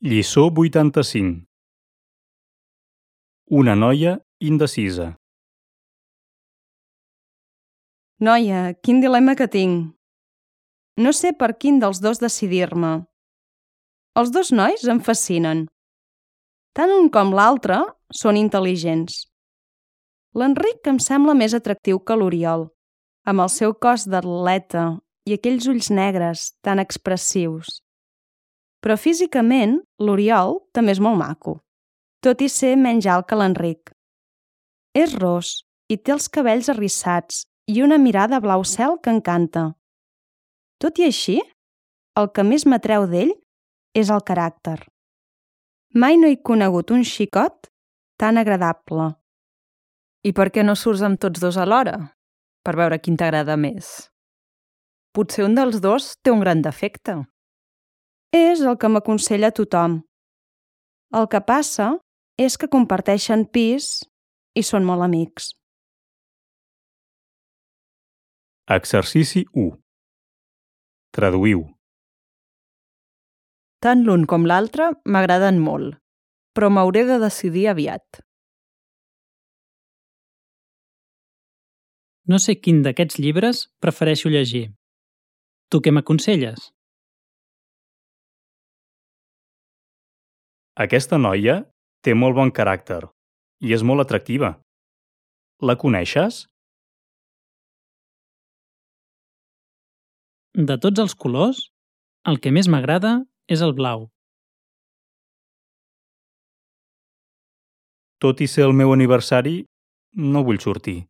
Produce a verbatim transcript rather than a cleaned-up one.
Lliçó vuitanta-cinc. Una noia indecisa. Noia, quin dilema que tinc. No sé per quin dels dos decidir-me. Els dos nois em fascinen. Tant un com l'altre són intel·ligents. L'Enric em sembla més atractiu que l'Oriol, amb el seu cos d'atleta i aquells ulls negres tan expressius. Però físicament, l'Oriol també és molt maco, tot i ser menys alt que l'Enric. És ros i té els cabells arrissats i una mirada blau cel que encanta. Tot i així, el que més m'atreu d'ell és el caràcter. Mai no he conegut un xicot tan agradable. I per què no surts amb tots dos alhora? Per veure quin t'agrada més. Potser un dels dos té un gran defecte. És el que m'aconsella tothom. El que passa és que comparteixen pis i són molt amics. Exercici u. Traduïu. Tant l'un com l'altre m'agraden molt, però m'hauré de decidir aviat. No sé quin d'aquests llibres prefereixo llegir. Tu què m'aconselles? Aquesta noia té molt bon caràcter i és molt atractiva. La coneixes? De tots els colors, el que més m'agrada és el blau. Tot i ser el meu aniversari, no vull sortir.